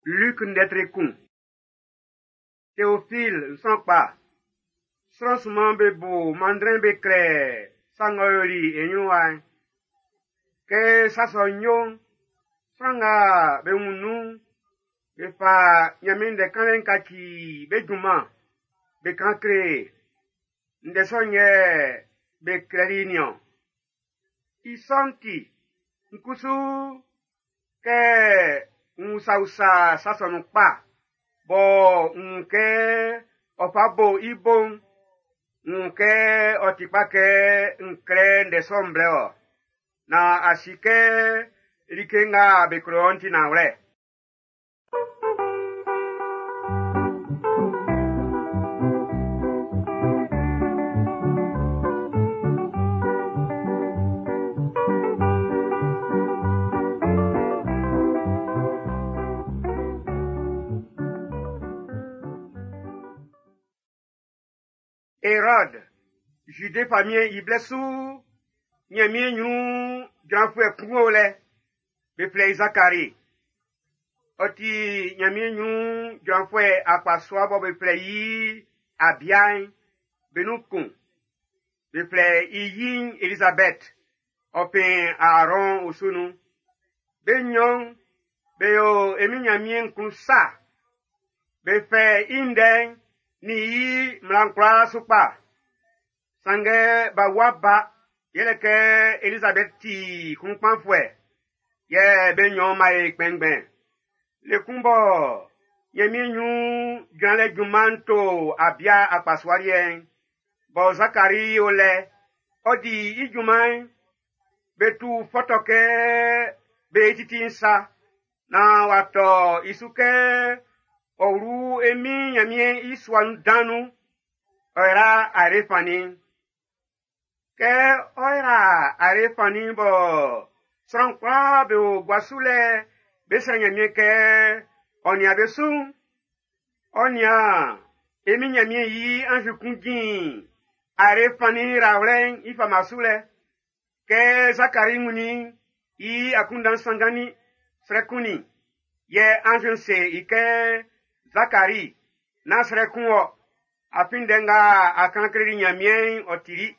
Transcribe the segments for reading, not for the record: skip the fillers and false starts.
Luc ndɛ tre kun. Teofil n sran kpa. Sran sunman be bo manndrɛn be klɛ sa ng'ɔ yoli e ɲrun wa'n. Kɛ sa sɔ'n yo'n, sran nga be wun nun'n, be fa Ɲanmiɛn ndɛ kanlɛ'n kaci be junman, be kan kle e. Ndɛ sɔ'n yɛ be klɛli niɔn. I sɔ'n ti, n kusu kɛ n usausa sa sɔ'n nun kpa, bɔ n wun kɛ ɔ fa bo i bo'n, n wun kɛ ɔ ti kpa kɛ n klɛ ndɛ sɔ'n blɛ wɔ, naan a si kɛ like nga be kle wɔ'n ti nanwlɛ. Erɔd, Jude famiɛn i blɛ su Ɲanmiɛn ɲrun jranfuɛ kun o lɛ, be flɛ i Zakari. Ɔ ti Ɲanmiɛn ɲrun jranfuɛ akpasua bɔ be flɛ i Abia'n be nun kun. Be flɛ i yi'n Elizabɛt, ɔ fin Aarɔn osu nun. Be nɲɔn'n, be yo e Min Ɲanmiɛn klun sa. Be fɛ i ndɛ'n nin i mmla'n kwlaa su kpa. Sanngɛ b'a wua ba, yɛlɛ kɛ Elizabɛt ti klunkpanfuɛ, yɛ be nɲɔn'n b'a yo kpɛnngbɛn. Le kun bɔ Ɲanmiɛn ɲrun jranlɛ junman'n to Abia akpasua liɛ'n, bɔ Zakari o lɛ, ɔ di i junman'n, be tu fɔtɔ kɛ be titi'n sa, naan w'a tɔ i su kɛ ɔ wlu e Min Ɲanmiɛn i sua'n dan nun, ɔ yra ayre fannin'n. Kɛ ɔ yra ayre fannin'n bɔ sran kwlaa be o gua su lɛ be srɛ Ɲanmiɛn kɛ ɔ nian be su'n, ɔ nian e Min Ɲanmiɛn i anzi kun jin ayre fannin yrawlɛ'n i fama su lɛ. Kɛ Zakari wunnin i akunndan sanngannin, srɛ kunnin. Yɛ anzi'n se i kɛ, Zakari, nán srɛ kun wɔ, afin ndɛ nga a kan kleli Ɲanmiɛn'n ɔ tili.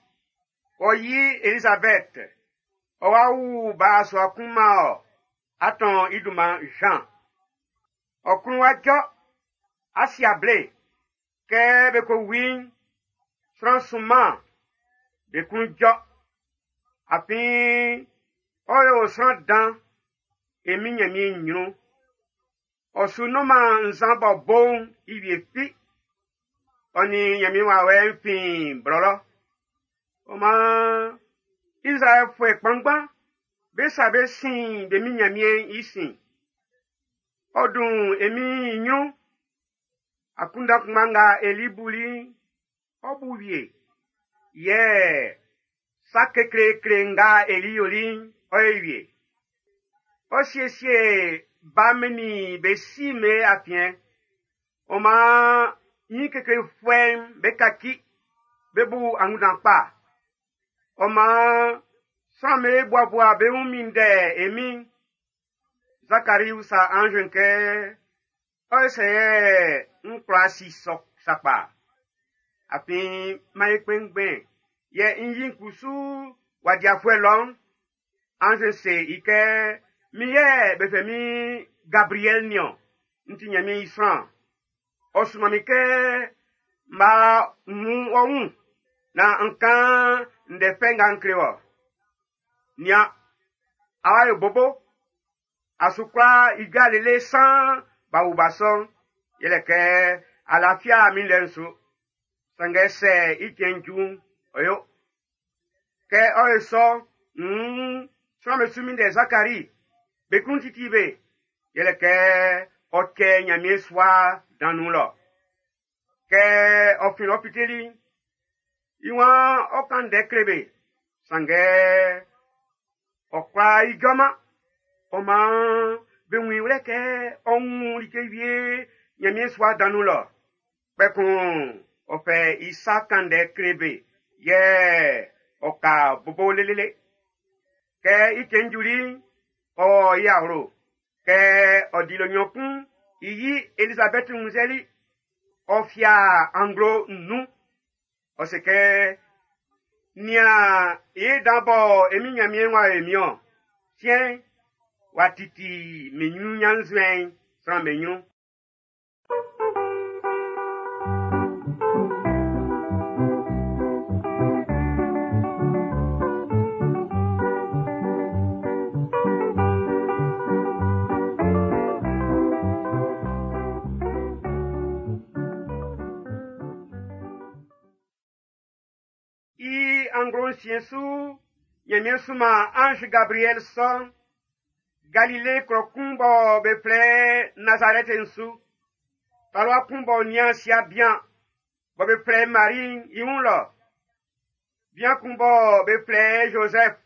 Ɔ yi Elizabɛt, ɔ wa wu ba sua kun man ɔ, a tɔn i dunman Jean. Ɔ klun wá jɔ́, á sí able. Kɛ be ko wu i'n, sran sunman be klun jɔ́. Afin ɔ yo sran dan e Min Ɲanmiɛn ɲrun. Ɔ su nɔnman nzan bɔ bo'n i wie fi. Ɔ nin Ɲanmiɛn wawɛ'n fin blɔlɔ. Ɔ maan Izraɛlfuɛ kpanngban be sa be sin be Min Ɲanmiɛn'n i sin. Ɔ dun e Min'n i ɲrun. Akunndan kunngba nga Eli buli'n, ɔ bu wie. Yɛ sa kekleekle nga Eli yoli'n, ɔ ye wie. Ɔ siesie ba'm nin be si'm be afiɛn. Ɔ maan ɲin keklefuɛ'm be kaci, be bu angunndan kpa. Ɔ maan sran'm be buabua be wun minndɛ e Min'n. Zakari usa anz'n kɛ, ɔ sɛ yɛ n kwla si sɔ sakpa. Afin m'an yo kpɛnngbɛn, yɛ n yi'n kusu w'a di afuɛ lɔ'n. Anz'n se i kɛ, min yɛ be flɛ min Gabriɛl niɔn, n ti Ɲanmiɛn i sran. Ɔ sunman min kɛ m b'a wun ɔ wun naan n kan ndɛ fɛ nga n kle wɔ. Nian, a wa yo bobo. A su kwla ijɔ lele san b'a wu ba sɔ'n, yɛlɛ kɛ a lafia min ndɛ'n su. Sanngɛ sɛ i cɛn ju'n, ɔ yo. Kɛ ɔ yo sɔ, nn sran'm be su minndɛ Zakari. Be klun titi be, yɛlɛ kɛ ɔ cɛ Ɲanmiɛn sua dan nun lɔ. Kɛ ɔ fin lɔ fiteli'n, i waan ɔ kan ndɛ kle be, sanngɛ ɔ kwlá ijɔman. Ɔ maan be wun i wlɛ kɛ ɔ wun like wie Ɲanmiɛn sua dan nun lɔ. Kpɛkun ɔ fɛ i sa kan ndɛ kle be, yɛ ɔ ka bobo lelele. Kɛ i cɛn juli'n, ɔ i awlo. Kɛ ɔ dili nɲɔn kun I yi Elizabɛti wunnzɛli, ɔ fia anglo nnun. Ɔ se kɛ, nian i dan bɔ e min Nyanmiɛn w'a yo min-ɔn. Siɛn'n, w'a titi min ɲrun ɲannzuɛn'n sran'm be ɲrun. I anglo nsiɛn su, Ɲanmiɛn sunman ange Gabriel sɔ'n, Galile klɔ kun bɔ be flɛ Nazarɛti'n su. Talua kun b'ɔ nian sia bian, bɔ be flɛ Mari'n i wun lɔ. Bian kun bɔ be flɛ Joseph,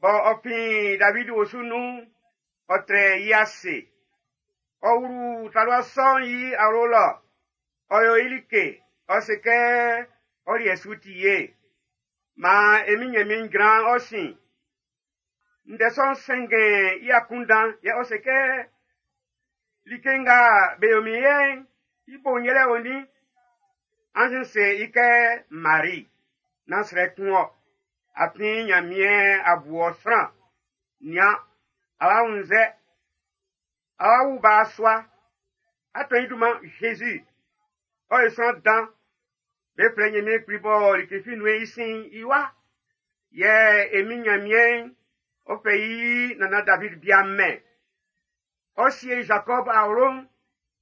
bɔ ɔ fin David osu nun'n, ɔ trɛ i ase. Ɔ wlu talua sɔ'n i awlo lɔ, ɔ yo i like, ɔ se kɛ ɔ liɛ su ti ye. Maan e min Ɲanmiɛn jran ɔ sin. Ndɛ sɔ'n sɛnngɛn i akunndan yɛ ɔ se kɛ like nga be yo min yɛ'n, i bo'n yɛlɛ onin. Anz'n se i kɛ Mari, nán srɛ kun ɔ. Afin Ɲanmiɛn a bu ɔ sran. Nian, a wa wunnzɛ. A wa wu ba sua. A tɔn i dunman Jésus. Ɔ ye sran dan. Be flɛ Ɲanmiɛn Kpli bɔ like fi nun'ɛn i sin'n i wa. Yɛ e min Ɲanmiɛn'n, ɔ fɛ i nannan David bia'n mɛn. Ɔ sie Jacob awlo'n,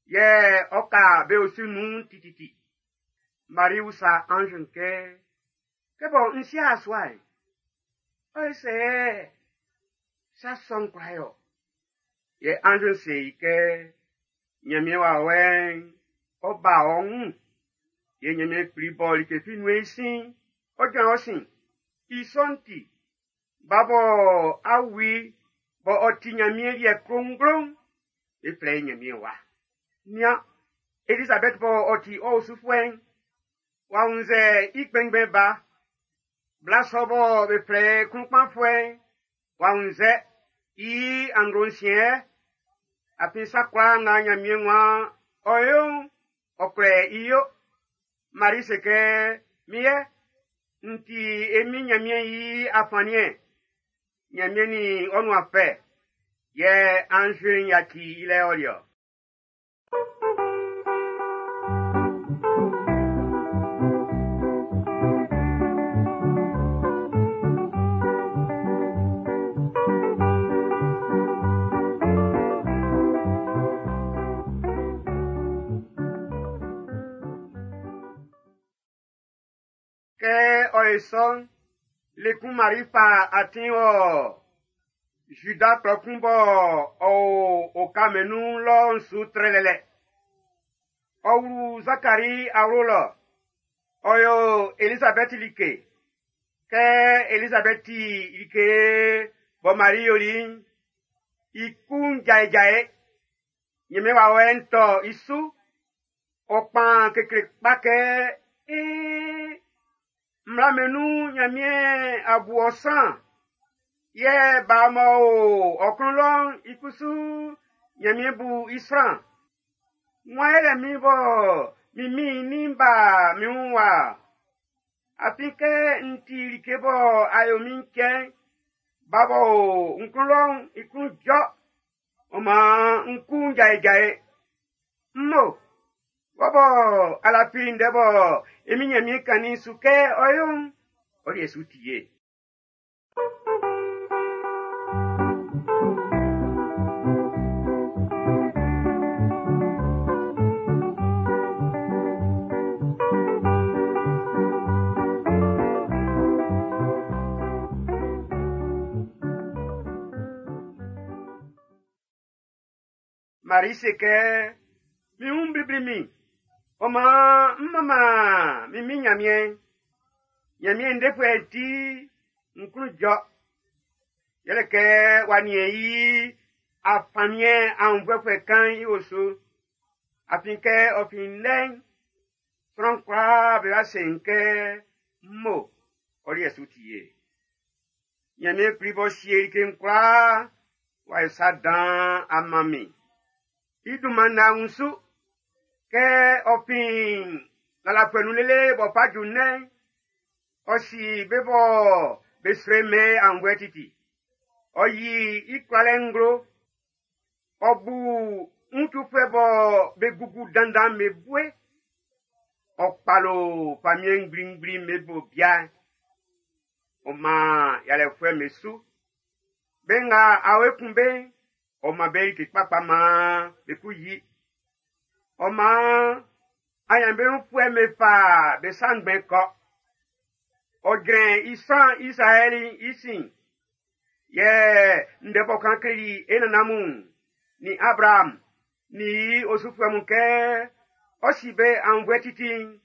yɛ ɔ ka be osu nun tititi. Marie usa ange'n kɛ, kɛ bɔ n si asua'n, ɔ ye sɛ sa sɔ'n kwla yɔ. Yɛ ange'n se i kɛ, Ɲanmiɛn wawɛ'n, ɔ ba ɔ wun. Yɛ Ɲanmiɛn Kpli bɔ like fi nun'ɛn i sin'n, ɔ jran ɔ sin. I sɔ'n ti, ba bɔ a wu bɔ ɔ ti Ɲanmiɛn liɛ klonglo'n, be flɛ i Ɲanmiɛn wa. Nian, Elisabɛth bɔ ɔ ti ɔ osufuɛ'n, w'a wunnzɛ i kpɛnngbɛn ba. Bla sɔ bɔ be flɛ klunkpanfuɛ'n, w'a wunnzɛ i anglo nsiɛn. Afin sa kwlaa nga Ɲanmiɛn waan ɔ yo'n, ɔ kwlɛ i yo. Mari se kɛ, min yɛ, n ti e min Ɲanmiɛn i afanniɛn. Ɲanmiɛn nin ɔ nuan fɛ, yɛ anz'n yaci i lɛ ɔli ɔ. Kɛ ɔ ye sɔ'n, le kun Mari fa atin wɔ Juda klɔ kun bɔ ɔ o oka mɛn'n nun lɔ'n su trɛlɛlɛ. Ɔ wlu Zakari awlo lɔ, ɔ yo Elisabɛti like. Kɛ Elisabɛti like bɔ Mari yoli'n, i kun jaejae. Ɲanmiɛn wawɛ'n tɔ i su. Ɔ kpan kekle kpa kɛ, ee, mmla mɛn'n nun Ɲanmiɛn a bu ɔ sran. Yɛ ba m'ɔ o ɔ klun lɔ'n, i kusu Ɲanmiɛn bu i sran. Wan yɛlɛ min bɔ min min nin ba min wun wa. Afin kɛ n ti like bɔ a yo min cɛn'n, ba bɔ o n klun lɔ'n i klun jɔ. Ɔ maan n kun jaejae. Mmo, wɔ bɔ a lafi ndɛ bɔ e min Ɲanmiɛn kannin su kɛ ɔ yo'n, ɔ liɛ su ti ye. Mari se kɛ, min wun blibli min. Ɔ maan n manman min min Ɲanmiɛn. Ɲanmiɛn defuɛ'n ti n klun jɔ. Yɛlɛ kɛ w'a niɛn i afanniɛn aunnvuɛfuɛ kan'n i osu. Afin kɛ ɔ fin lɛ'n, sran kwlaa be wa se n kɛ, mmo, ɔ liɛ su ti ye. Ɲanmiɛn Kpli b'ɔ sie like'n kwlaa, w'a yo sa dan a man min. I dunman na wunsu. Kɛ ɔ fin lalafuɛ nun lele b'ɔ fa ju nnɛ'n, ɔ si be bɔ be srɛ mɛn aunnvuɛ titi. Ɔ yi i kwlalɛ nglo. Ɔ bu wuntufuɛ bɔ be gugu dandan be bue. Ɔ kpalo famiɛn ngblingbli be bo bia'n. Ɔ man yalɛfuɛ'm be su. Be nga awe kun be'n, ɔ man be like kpakpa maan be ku yi. Ɔ maan aɲanbeunfuɛ'm be fa be sa ngbɛn kɔ. Ɔ jrɛn i sran Izraɛli i sin. Yɛ ndɛ b'ɔ kan kleli e nannan mun, nin Abraham, nin i osufuɛ mun kɛ ɔ si be aunnvuɛ titi'n,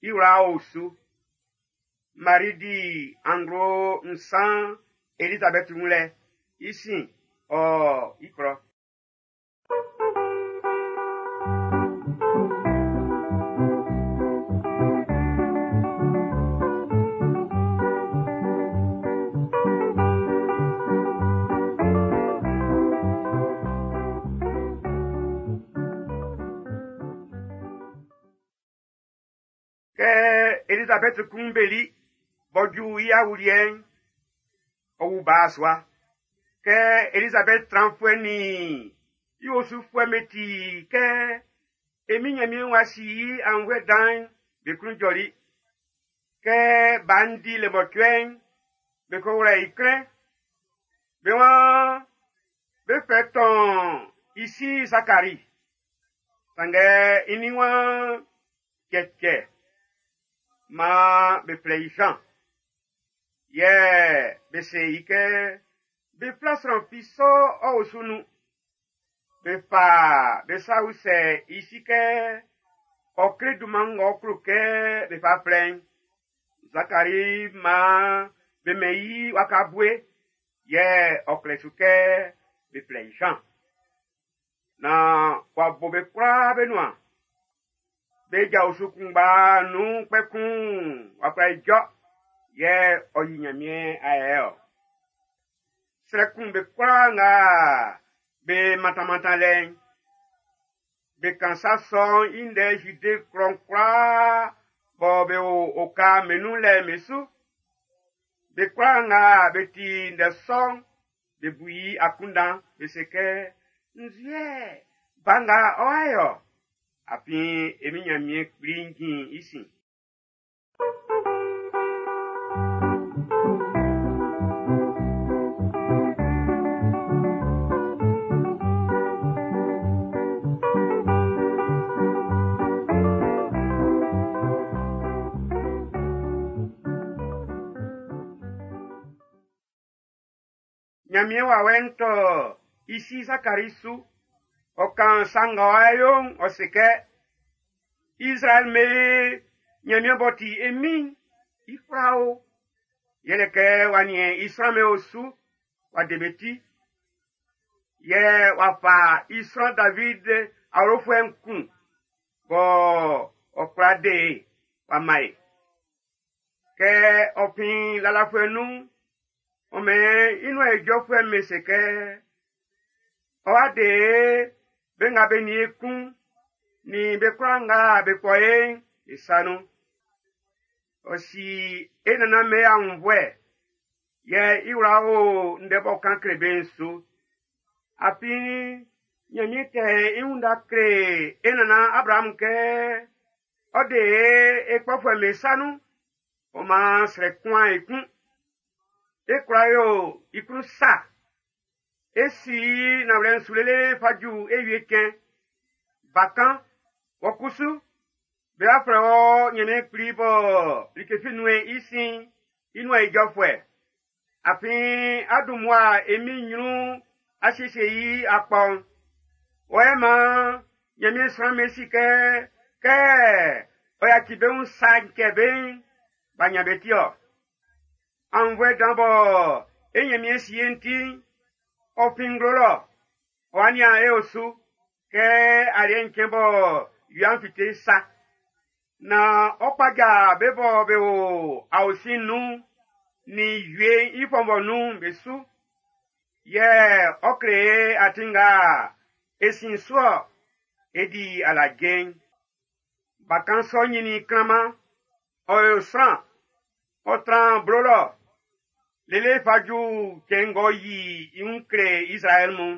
i wla o su. Mari di anglo nsan Elizabɛti wun lɛ, i sin ɔ i klɔ. Kɛ Elizabɛti kunbeli b'ɔ ju i awuliɛ'n, ɔ wu ba sua. Kɛ Elizabɛti tranfuɛ nin i osufuɛ'm be ti kɛ e Min Nyanmiɛn wa si i aunnvuɛ dan'n, be klun jɔli. Kɛ ba'n di le mɔcuɛ'n, be ko wlɛ i klɛn. Be waan be fɛ tɔn i si Zakari. Sanngɛ i nin waan cɛcɛ maan be flɛ i Jean. Yɛ be se i kɛ be fla sran fi sɔ ɔ osu nun. Be fa be sa usɛ i si kɛ ɔ kle dunman ng'ɔ klo kɛ be fa flɛ i'n. Zakari maan be mɛn i waka bue, yɛ ɔ klɛ su kɛ be flɛ i Jean. Naan w'a bo be kwlaa be nuan. Be ja osu kunngba nun kpɛkun w'a kwla ijɔ, yɛ ɔ yi Ɲanmiɛn ayɛ ɔ. Srɛ kun be kwlaa nga be mantanmantan lɛ'n. Be kan sa sɔ'n i ndɛ Zude klɔ'n kwlaa bɔ be o oka mɛn'n nun lɛ'n be su. Be kwlaa nga be ti ndɛ sɔ'n, be bu i akunndan be se kɛ, nzuɛ ba nga ɔ'a yɔ. Afin e Min Nyanmiɛn kpli'n jin i sin. Nyanmiɛn wawɛ'n tɔ i si Zakari su. Ɔ kan sa nga ɔ'a yo'n, ɔ se kɛ, Izraɛl me Nyanmiɛn b'ɔ ti e Min'n, i kwla o. Yɛlɛ kɛ w'a niɛn i sran me osu, w'a de be ti. Yɛ w'a fa i sran David awlofuɛ'n kun, bɔ ɔ kwla de e, w'a man e. Kɛ ɔ fin lalafuɛ nun'n, ɔ mɛn i nuan ijɔfuɛ'm be se kɛ, ɔ'a de be nga be nin e kun, nin be kwlaa nga be kpɔ e'n, be sa nun. Ɔ si e nannan be aunnvuɛ, yɛ i wla o ndɛ b'ɔ kan kle be'n su. Afin Nyanmiɛn tɛ i wun da kle e nannan Abraham kɛ ɔ de e kpɔfuɛ'm be sa nun, ɔ maan srɛ kunman e kun. E kwla yo i klun sa. E si nanwlɛ'n su lele fa ju e wie cɛn. Bakan, wɔ kusu, be b'a flɛ wɔ Nyanmiɛn Kpli bɔ like fi nun'ɛn i sin'n, i nuan ijɔfuɛ. Afin a dun mmua e Min'n nyrun a siesie i akpɔ'n. Wɔ yɛ maan Nyanmiɛn sran'm be si kɛ, kɛ ɔ yaci be wun sa'n cɛ be'n, b'a nyan be ti-ɔ. Aunnvuɛ dan bɔ e Nyanmiɛn si e'n ti'n, ɔ fin nglo lɔ, ɔ'a nian e osu kɛ aliɛ'n cɛn bɔ wia'n fite sa. Na ɔ kpaja be bɔ be o aosin'n nun nin wie'n i fɔnvɔ nun'n be su. Yɛ ɔ kle e atin nga E sin su-ɔ, e di alaje'n. Bakan sɔ'n ɲinnin klanman, ɔ yo sran, ɔ tran blo lɔ, lele fa ju cɛn ng'ɔ yi i wun kle Izraɛl mun'n.